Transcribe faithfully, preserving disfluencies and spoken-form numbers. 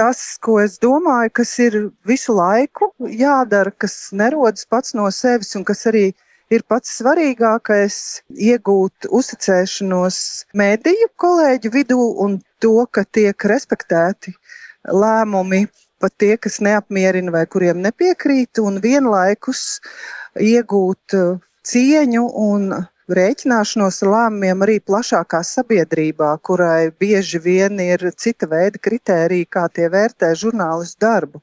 tas, ko es domāju, kas ir visu laiku jādara, kas nerodas pats no sevis un kas arī ir pats svarīgākais - iegūt uzticēšanos mediju kolēģu vidū un to, ka tiek respektēti lēmumi, pat tie, kas neapmierina vai kuriem nepiekrīt, un vienlaikus iegūt cieņu un rēķināšanos ar lēmumiem arī plašākā sabiedrībā, kurai bieži vien ir cita veida kritērija, kā tie vērtē žurnālistu darbu.